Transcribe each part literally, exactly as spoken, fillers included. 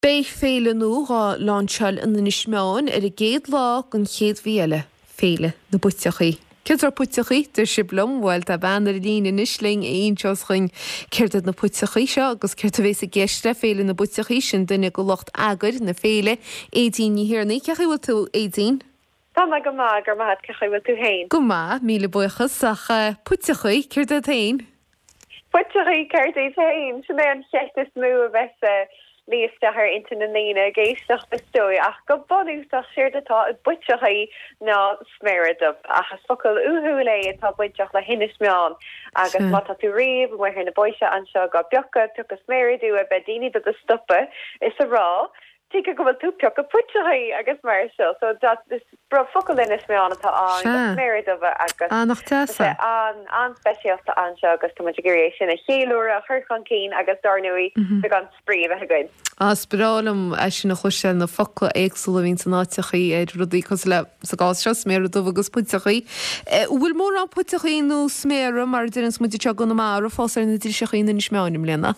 Beidh féile nua á lainseáil in Inis Meáin ar an gcéad lá den chéad mhí eile, Féile na bPuiteachaí. Céard iad puiteachaí, deir sibh liom, bhuel tá bean ar an líne anois linn a inseos dhúinn céard iad na puiteachaí seo agus céard a bhéas i gceist le Féile na bPuiteachaí, sin duine de lucht eagair na féile, Aedín Ní Thiarnaigh. Cén chaoi a bhfuil tú, Aedín? Tá mé go maith, go raibh maith agat, cén chaoi a bhfuil tú féin? Go maith, míle buíochas, ach puiteachaí, céard iad féin? Puiteachaí, céard iad féin? Sin é an cheist is mó a bheas ag luí isteach ar intinn na ndaoine ag éisteacht is dóigh, ach go bunúsach séard atá i bpuiteachaí ná sméara dubh, ach is focal uathúil é atá bainteach le hInis Meáin agus má tá tú riamh amuigh ar na bóithre anseo ag piocadh, piocadh sméara dubha, beidh daoine do do stopadh is a rá tuige go bhfuil tú piocadh puiteachaí agus mar seo so is focal Inis Meáin atá ann sméara dubha agus Ah, nach deas é. an an-speisialta anseo agus tá muid ag iarraidh é sin a cheiliúradh a chur chun cinn agus dar ndóigh beagán spraoi a bheith againn. Ah, is breá liom é sin a chloisteáil na focla éagsúla a bhíonn san áiteachaí ar rudaí cosúil le sa gcás seo sméara dubha agus puiteachaí. Bhfuil mórán puiteachaí nó sméara mar a deireanns muid anseo i gConamara fós ar na driseachaí in Inis Meáin i mbliana?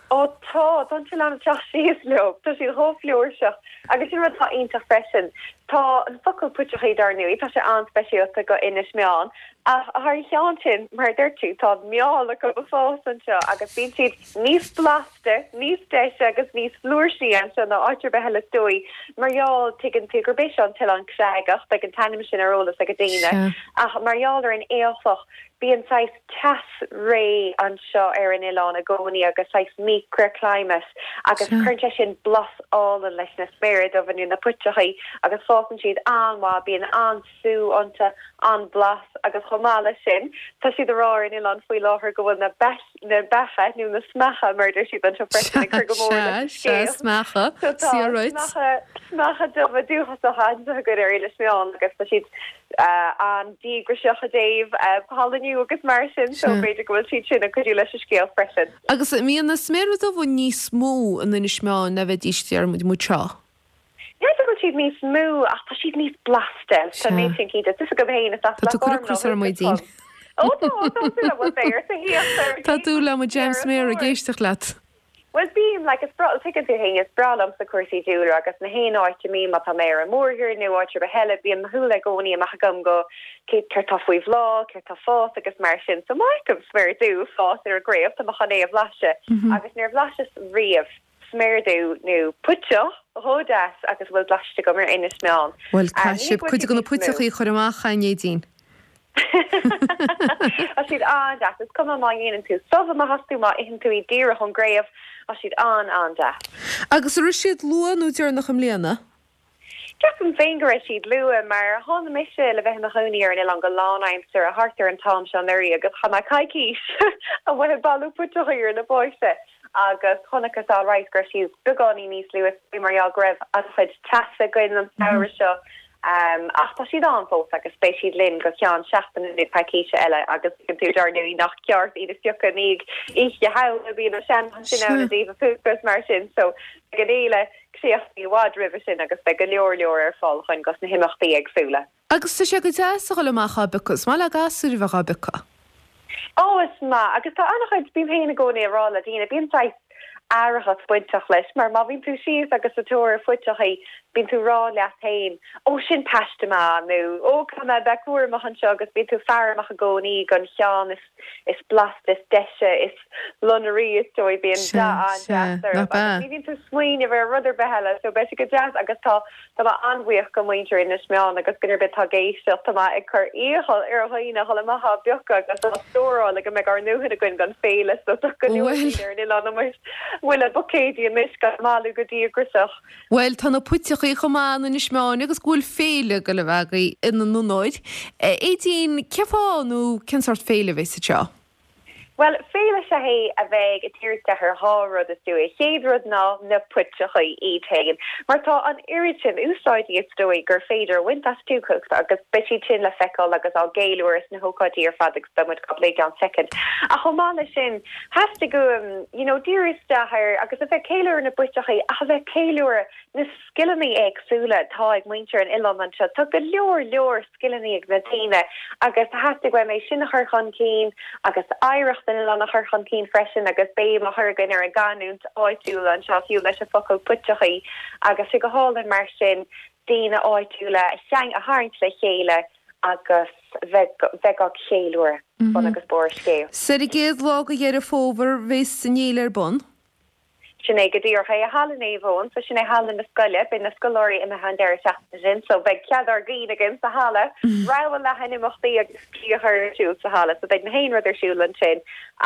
Ó tá tá an t-oileán ag teacht síos leo, tá siad chomh flúirseach agus sin rud atá iontach freisin. Tá an focal puiteachaí dar ndóigh, tá sé an-speisialta go Inis Meáin ach thar a cheann sin mar a dúirt tú tá meall acu ag fás anseo agus bíonn siad níos blasta, níos deise agus níos flúirsí anseo ná áit ar bith eile is dóigh. Mar gheall tuigeann tú gurb é seo an t-oileán creagach, beidh an t-ainm sin ar eolas ag daoine, ach mar gheall ar an aolchloch bíonn saghas teas réidh anseo ar an oileán i gcónaí agus saghas microclimate agus cuireann sé sin blas álainn leis na sméara dubha nó na puiteachaí agus fásann siad an-mhaith, bíonn an-sú iontu, an-bhlas agus chomh maith leis sin tá siad ag rá ar an oileán faoi láthair go bhfuil na na beacha nó na smeacha mar deir siad anseo freisin ag cur go mór leis an scéal. Smeacha, smeacha smeacha dubha dúchasacha anseo againn ar Inis Meáin agus tá siad an-díograiseach i dtaobh pailiniú agus mar sin so b'fhéidir go bhfuil siad sin ag cuidiú leis an scéal freisin. Agus mbíonn na sméara dubha níos mó in Inis Meáin ná bheidís deir muid muid seo. Ní go bhfuil siad níos mó ach tá siad níos blasta tá mé sin cinnte Tá go héin Tá tú cur cros ar Aedín. Ó Tá tú le mo jam sméar ag éisteacht leat. Well bím like is breá tuigeann tú féin is breá liomsa cúrsaí dúlra agus na haon áit a mbím má tá mé ar an mórthír nó áit ar bith eile bíonn mo shúile i gcónaí amach agam go cé céard tá faoi bhláth, céard tá ag fás agus mar sin so má fheicim sméar dubh ag fás ar an gcraobh tá mé chun é a bhlaiseadh agus níor bhlaiseas riamh sméar dubh nó puiteach chomh deas agus a bhfuil blaiste agam ar Inis Meáin. Bhuel caithfidh sibh cuid de na puiteachaí a chur amach a Aedín. Tá siad an-deas. Is cuma má dhéanann tú subh amach astu, má itheann tú iad díreach ón gcraobh, tá siad an-an-deas. Agus an raibh siad luath nó deireanach i mbliana? Ceapaim féin go raibh siad luath mar tháinig mise le bheith i mo chónaí ar an oileán go lánaimseartha thart ar an t-am seo anuraidh agus chaith mé coicís amuigh ag bailiú puiteachaí ar na bóithre agus chonacthas alright go raibh siad beagáinín níos luaithe mar gheall go raibh an-chuid teasa againn an samhradh seo. Ach tá siad ann fós agus beidh siad linn go ceann seachtaine nó coicíse eile agus tuigeann tú dar ndóigh nach ceart iad a phiocadh i ndiaidh Oíche Shamhna, bíonn na seanmhná sin ann i dtaobh a phúca is mar sin so beidh an fhéile críochnaithe i bhfad roimhe sin agus beidh go leor leor ar fáil againn dos na himeachtaí éagsúla. Agus tá sé go deas a dhul amach á bpiocadh, is maith le gasúir a bheith á bpiocadh. Ó is maith agus tá an-chuid, bím féin i gcónaí ag rá le daoine, bíonn saghas aireachas bainteach leis mar má bhíonn tú síos agus ag tóir phuiteachaí bíonn tú ag rá leat féin 'Ó sin paiste maith' nó 'Ó caithfidh mé bheith cúramach anseo' agus bíonn tú ag faire amach i gcónaí don cheann is is blasta, is deise, is lonraí is dóigh, bíonn dath an-deas orthu agus ní bhíonn tú ag smaoineamh ar rud ar bith eile so beidh sé go deas agus tá tá mé an-bhuíoch go muintir Inis Meáin agus duine ar bith atá ag éisteacht, tá mé ag cur iachall ar dhaoine a dhul amach á bpiocadh agus á stóráil le go mbeidh ár ndóthain againn don féile so tá go leor daoine ar an oileán amuigh amuigh le buicéidí anois á mbailiú go díograiseach. Bhuel tá na puiteachaí chomh maith in Inis Meáin agus go bhfuil féile ag dul a bheith agaibh ina n-onóir. Aedín, cén fáth nó cén sórt féile a bheas anseo? Bhuel, féile is ea é a bheidh ag díriú isteach ar dhá rud is dóigh. An chéad rud ná na puiteachaí iad féin, mar tá an oiread sin úsáidí is dóigh gur féidir a bhaint astu agus beidh siad sin le feiceáil agus á gceiliúradh sna hócáidí ar fad agus beidh muid á bplé i gceann soicind. Ach chomh maith leis sin, theastaigh uaim, you know, díriú isteach ar agus a bheith ag ceiliúradh na bpuiteachaí ach a bheith ag ceiliúradh na scileanna éagsúla atá ag muintir an oileáin anseo. Tá go leor leor scileanna ag na daoine agus theastaigh uaim é sin a chur chun cinn agus oidhreacht an oileáin a chur chun cinn freisin agus béim á chur againn ar an gcanúint áitiúil anseo fiú leis an focal puiteachaí agus sé go hálainn mar sin daoine áitiúla a cheang a tharraingt le chéile agus bheith bheith á cheiliúradh bun agus barr an scéil. 'S ar an gcéad lá de Dheireadh Fómhair bheas an fhéile ar bun. Sin é go díreach é i Halla Naomh Eoin, so sin é halla na scoile, beidh na scoláirí imithe an deireadh seachtaine sin, so beidh cead ár gcinn againn sa halla, rogha leathan imeachtaí agus spraoi a chur ar siúl sa halla, so beidh na haon rud ar siúl ansin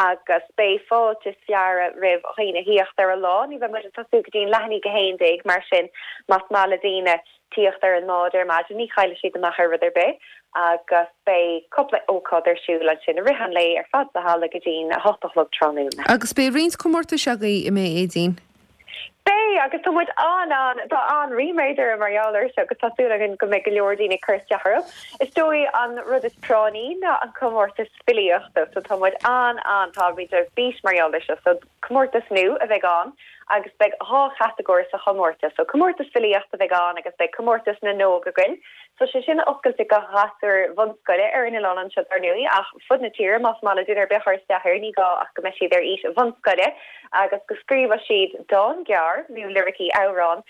agus beidh fáilte is fearadh roimh dhaoine thíocht ar an lá, ní bheidh muid ag tosú go dtí an leath i ndiaidh a haon déag, mar sin más maith le daoine tíocht ar an mbád ar maidin, ní chaillfidh siad amach ar rud ar bith agus beidh cúpla ócáid ar siúl ansin i rith an lae ar fad sa halla go dtí'n a hocht a chlog tráthnóna. Agus beidh roinnt comórtais agaibh, an mbeidh, Aedín? Beidh, agus tá muid an-an, tá an-ríméad orainn mar gheall air seo agus tá súil againn go mbeidh go leor daoine ag cur isteach orthu. Is dóigh an rud is práinní ná an comórtas filíochta, so tá muid an-an, táimid ar bís mar gheall air seo, so comórtas nua a bheidh ann agus beidh dhá chatagóir sa chomórtas. So comórtas filíochta a bheidh ann agus beidh comórtas na n-óg againn. So sé sin oscailte do ghasúir bhunscoile ar an oileán anseo dar ndóigh ach fud na tíre más maith le duine ar bith cur isteach air ní gá ach go mbeidh siad ar aois bhunscoile agus go scríobhadh siad dán gearr nó liricí amhráin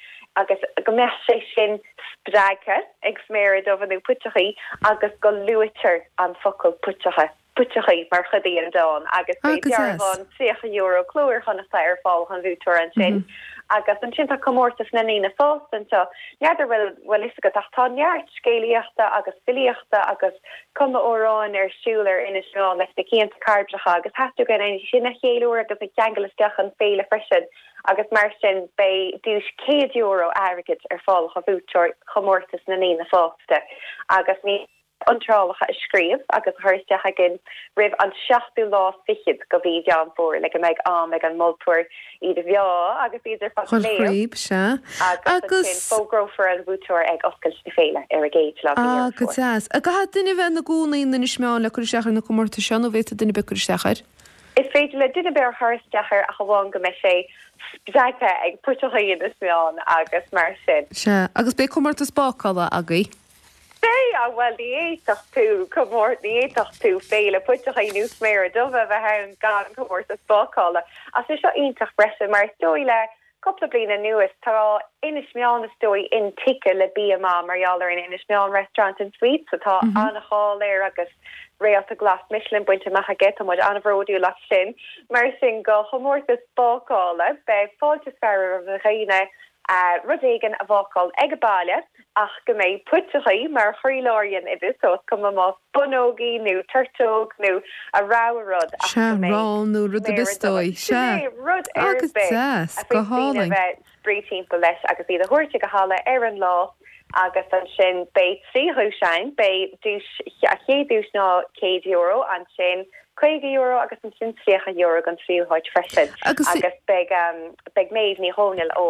agus go mbeadh sé sin spreagtha ag sméara dubha nó puiteachaí agus go luaitear an focal puiteacha. Puiteachaí mar chuid den dán agus beidh dearbhán tríocha euro Cló Iar-Chonnachta ar fáil don bhuaiteoir ansin. Agus ansin tá comórtas na ndaoine fásta anseo. N'fheadar bhfuil bhfuil fhios agat ach tá neart scéalaíochta agus filíochta agus cumadh amhráin ar siúl ar Inis Meáin leis na cianta cairbreacha agus theastaigh uainn é sin a cheiliúradh agus a cheangal isteach an féile freisin agus mar sin beidh duais céad euro airgid ar fáil do bhuaiteoir chomórtas na ndaoine fásta agus ní iontrálacha a scríobh agus a chur isteach againn roimh an seachtú lá fichead de mhí Mheán Fómhair le go mbeidh am ag an moltóir iad a mheá agus iad ar fad a léamh. Sea. Agus ansin fógrófar an buaiteoir ag oscailt na féile ar an gcéad lá de Ah, Dheireadh go Fómhair. deas. An gcaithfidh duine bheith ina gcónaí in Inis Meáin le cur isteach ar na comórtais seo nó bhféadfadh duine ar bith cur isteach air? Is féidir le duine ar bith cur isteach air ach amháin go mbeidh sé spreagtha ag puiteachaí Inis Meáin agus mar sin. Sea. Agus beidh comórtas bácála agaibh. Beidh, ah bhuel ní fhéadfadh tú comór ní fhéadfadh tú féile puiteachaí nó sméara dubha a bheith ann gan comórtas bácála. Ach sé seo iontach freisin mar is dóigh le cúpla bliain anuas tá Inis Meáin is dóigh intuigthe le bia maith mar gheall ar an Inis Meáin Restaurant and Suites atá an-cháil air agus réalta glas Michelin bainte amach aige tá muid an-bhródúil as sin. Mar sin go chomórtas bácála beidh fáilte is fearadh roimh dhaoine rud éigin a bhácáil ag baile ach go mbeidh puiteachaí mar chroílár an oidis so is cuma más bonnógaí nó turtóg nó a rogha rud ach Sea, go mbeidh rán nó rud ar bith is dóigh. Sin Sea. é, rud ar Agus bith deas, a go féadfaidh daoine hálainn. bheith spraoi timpeall leis agus iad a thabhairt ag an halla ar an lá agus ansin beidh trí dhuais ann, beidh duais a chéad duais ná céad euro ansin caoga euro agus ansin tríocha euro don tríú háit freisin. Agus agus beidh um, beidh Méabh Ní Dhomhnaill ó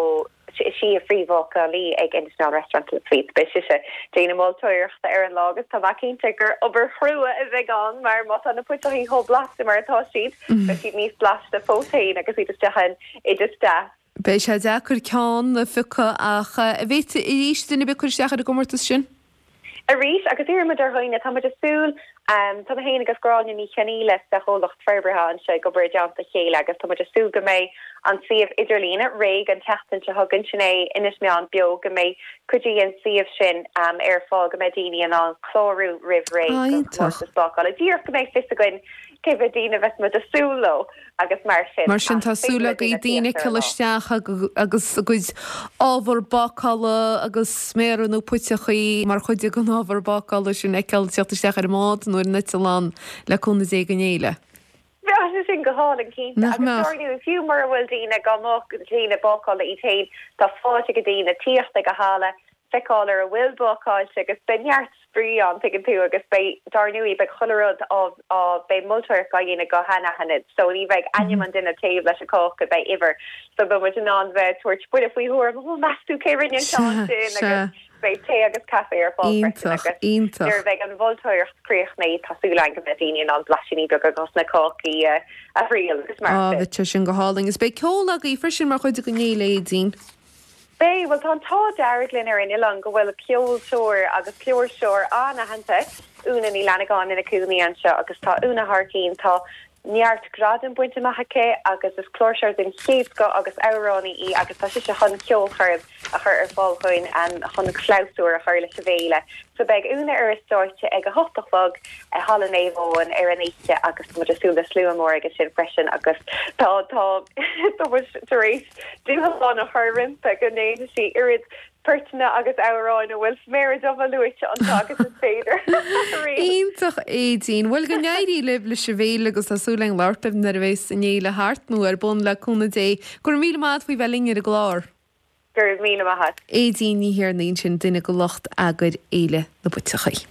sí an phríomhbhácálaí ag Inis Meáin Restaurant and Suites beidh sise ag déanamh moltóireachta ar an lá agus tá mé cinnte gur obair chrua a bheidh ann mar má tá na puiteachaí chomh blasta mar atá siad beidh siad níos blasta fós féin agus iad isteach in oideas deas. Beidh sé deacair ceann a phiocadh ach an bhféadfadh arís duine ar bith cur isteach ar an gcomórtas sin? Arís agus iarraimid ar dhaoine tá muid ag súil um, tá mé féin agus Gráinne Ní Chionnaola sa chomhlacht forbartha anseo ag obair i dteannta a chéile agus tá muid ag súil go mbeidh an suíomh idirlíne réidh an tseachtain seo chugainn sin é Inis Meáin Beo go mbeidh cuid den suíomh sin um, ar fáil go mbeidh daoine in ann clárú roimh ré Ah, don iontach. chomórtas bácála. Díreach go mbeidh fios againn cé mhéad daoine a bheas muid ag súil leo agus mar sin. Mar sin Ach tá súil féidir le agaibh daoine daoine tíocht ar cur an lá. isteach agus a gcuid ábhar bácála agus sméara nó puiteachaí mar chuid den ábhar bácála sin a fheiceáil teacht isteach ar an mbád nó ar an eitleán le cúnamh Dé don fhéile. Bheadh sé sin go hálainn cinnte Nach agus mbeadh? dar ndóigh fiú mura bhfuil daoine go mbeadh daoine bácála iad féin tá fáilte ag daoine tíocht ag an halla feiceáil ar a bhfuil bácáilte agus beidh neart spraoi ann tuigeann tú agus beidh dar ndóigh beidh chuile rud á á beidh moltóireacht á dhéanamh go han-anaithnid so ní bheidh ainm an duine taobh leis an cáca beidh uimhir so beidh muid in ann bheith tabhairt buille faoi thuairim ó meas tú cé rinne an ceann Sea, sin sea. agus beidh tae agus caife ar fáil freisin Iontach, agus iontach. nuair a bheidh an mholtóireacht críochnaithe tá súil againn go mbeidh daoine in ann blaisíní beaga dos na cácaí a a thriail agus mar Á sin. bheadh sé sin go hálainn. Is beidh ceol agaibh freisin mar chuid den fhéile Aedín. Beidh bhuel tá an t-ádh dearg linn ar an oileán go bhfuil ceoltóir agus cláirseoir an-aitheanta Úna Ní Fhlannagáin ina cónaí anseo agus tá Úna thar cinn tá neart gradam bainte amach aici agus is cláirseoir den chéad scoth agus amhránaí í agus tá sise chun ceolchoirm a chur ar fáil chugainn chun clabhsúr a chur leis an bhféile. So beidh Úna ar an stáitse ag a hocht a chlog i Halla Naomh Eoin ar an oíche agus tá muid ag súil le slua mór aige sin freisin agus tá tá tá muid tar éis dúshlán a chur roimpi go ndéanfaidh sí oiread poirteanna agus amhráin a bhfuil sméara dubha luaite iontu agus is féidir. Iontach Aedín, Bhuel go n-éirí libh leis an bhféile agus tá súil againn labhairt libh nuair a bheas an fhéile thart nó ar bun le cúnamh Dé. Go raibh míle maith agat faoi bheith linn ar an gclár. Go raibh míle maith agat. Aedín Ní Thiarnaigh ansin duine de lucht eagair Fhéile na bPuiteachaí.